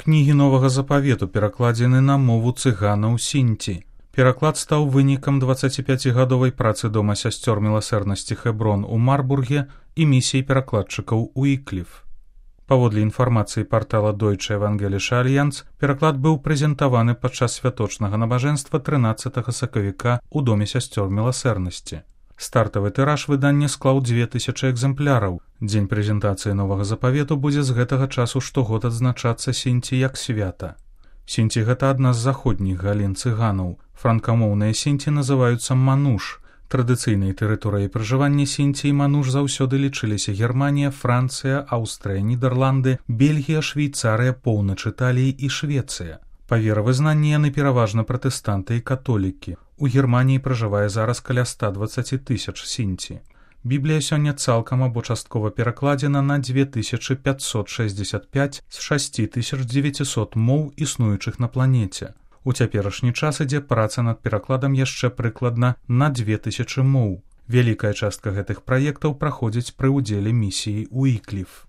кнігі новага запавету перакладзены на мову цыганаў сінці. Пераклад стаў вынікам 25гадовай працы дома сясцёр міласэрнасці Хэброн у Марбурге і місіі перакладчыкаў Уікліф. Паводле інфармацыі партала Deutsche Evangelische Allianz, пераклад быў прэзентаваны падчас святочнага набажэнства 13 сакавіка ў доме сясцёр міласэрнасці. Стартавы тыраж выдання склаў 2000 экземпляраў. Дзень прэзентацыі новага запавету будзе з гэтага часу штогод адзначацца сінці як свята. Сінці — гэта адна з заходніх галін цыганаў. Франкамоўныя сінці называюцца мануш. Традыцыйнай тэрыторыяй пражывання сінці і мануш заўсёды лічыліся Германія, Францыя, Аўстрыя, Нідерланды, Бельгія, Швейцарыя, поўнач Італіі і Швецыя. Па веравызнанні яны пераважна пратэстанты і католікі. У Германіі пражывае зараз каля 120 000 сінці. Біблія сёння цалкам або часткова перакладзена на 2565 з 6900 моў, існуючых на планеце. У цяперашні час ідзе праца над перакладам яшчэ прыкладна на 2000 моў. Вялікая частка гэтых праектаў праходзіць пры ўдзеле місіі Уікліф.